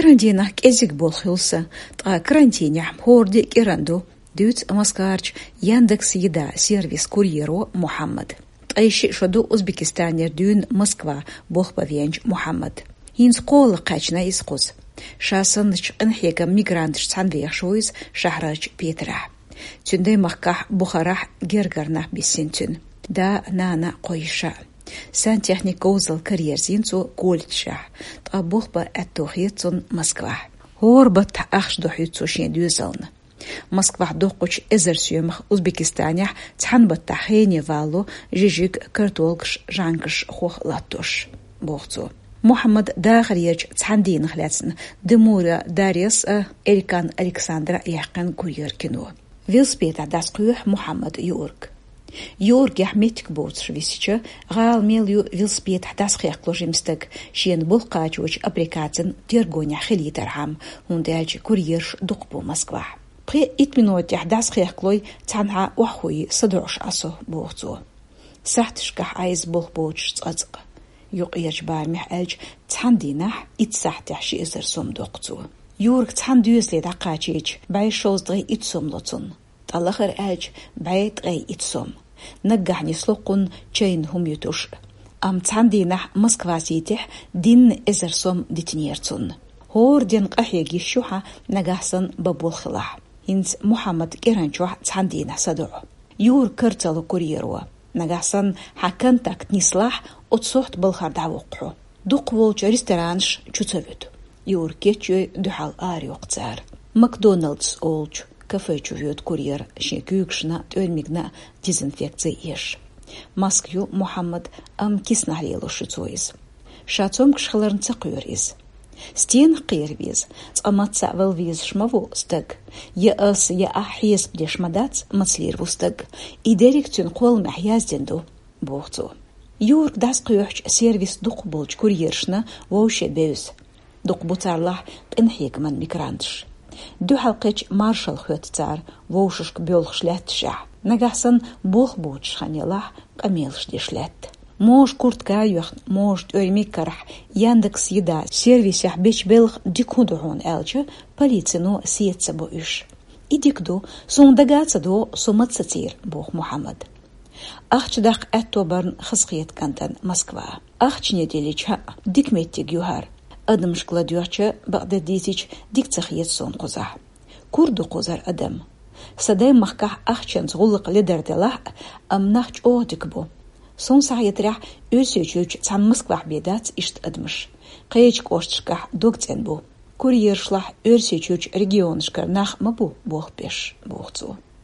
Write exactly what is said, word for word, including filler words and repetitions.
Карантинах кӀезиг болх хилла, ткъа карантинехь хӀорда кӀиран ду, дуьйцу Москварчу Яндекс Еда сервис курьеро Мухьаммада. Ткъе шиъ шо ду Узбекистанера дуьйна Москва болх бан веанчу Мухьаммада. ХӀинца кхоалгӀа кхаьчна иза кхуза. Ша санначу къинхьегаман мигранташца цхьаьна вехаш ву иза шахьарарчу Петрехь. Цуьнан даймахкахь Бухарахь гергара нах биссина цуьнан. Да, нана, кхо йиша. Сантехник говзалла караерзийна цо колледжехь, ткъа болх бан аьтто хета цунна Москвахь. ХӀора баттахь ахча дохьуьйту цо шен доьзална. Москвахь доккхучу эзар соьмах Узбекистанехь цхьана баттахь хене валло жижиг, картолгаш, жӀанкаш хох латтош, боху цо. Мухьаммадан дахарерчу цхьана дийнах лаьцна Демура Дарьяс а, Элькан Александра а яьккхина курьер кино. Велосипедехь дӀасакхоьхьу Мухьаммада Юург. Юургехь меттиг боцуш висича, гӀала мел ю велосипедехь дӀасахехкало жима стаг, шена болх кхачочу аппликацин тергонехь хилийтархьама, хӀунда аьлча курьераш дукха бу Москвахь. Пхи-итт минотехь дӀасахехкалой, цхьанхьа охьахуий садоӀуш Ӏа со, боху цо. Сахьташкахь Ӏа иза болх боцуш цкъацкъа. Юккъерчу барамехь аьлча, цхьана дийнахь итт сахьтехь ши эзар сом доккху цо. Юург цхьана доьзале дӀакхачийча, бӀе шовзткъе итт сом ло цунна. ТӀе лахара аьлча, бӀе ткъе итт сом. Наггахь нисло кхунна чайна хӀума юьтуш. Амма цхьана дийнахь Москва сийтехь динна эзар сом дитинера цунна. ХӀора ден къахьега йиш ю хьан, нагахь санна бан болх хилахь. ХӀинца Мухьаммад кӀиран чохь цхьана дийнахь садоӀу. Юург кара ца ло курьеро. Нагахь санна хьан контакт нислахь, оцу сохьта балхара дӀавоккху хьо. Дукха волчу ресторанаш чу ца вуьту. Юург кечйой, дуьхьал арайоккху цара. Макдоналдс олучу кафе чу воьду курьер, шен куьйгашна а, тӀоьрмигна а дезинфекци еш. Маска ю Мухьаммадан, амма киснахь лелош ю цо иза. Ша цомгуш хиларна ца кхоьру иза. Стенах кхера веза? Цкъа мацца а вала везаш ма ву стаг. Я ас, я ахь хьесап деш ма дац, маца лийр ву стаг. И дерриг цуьнан кхолламехь яздина ду, боху цо. Юург дӀасакхоьхьучу сервис дукха болчу курьершна вовше бевза. Дукха бу царлахь къинхьегаман мигранташ. Дуьхьал кхечу маршалла хоьтту цара, вовшашка боьлхуш лаьтташехь. Нагахь санна болх боцуш хан ялахь, къамелаш деш лаьтта. Можа куртка а йоьхна, можа тӀоьрмиг карахь, Яндекс Еда сервисехь бечу белхан дика хӀун ду хьуна аьлча, полицино сеца ца бо уьш. И дика ду, суна дага а ца догӀу, со маца сацийра, боху Мухьаммада. Ахча даккха аьтто барна хазахета кӀантана Москва. Ахчане деллича, хӀаъ, дика меттиг ю хӀара. Адамашка ладоьгӀча, бакъдерг дийцича, дика ца хета суна кхузахь. Кура ду кхузара адам. Сан даймахкахь ахчанца гӀуллакх ледар делахь а, амма нах чӀогӀа дика бу. Суна схьахетарехь, Оьрсийчуьрчу цхьана Москвахь бен дац иштта адамаш. Кхечу кӀошташкахь дог цӀена бу. Курьерашлахь Оьрсийчуьрчу регионашкара нах ма бу болх беш, боху цо.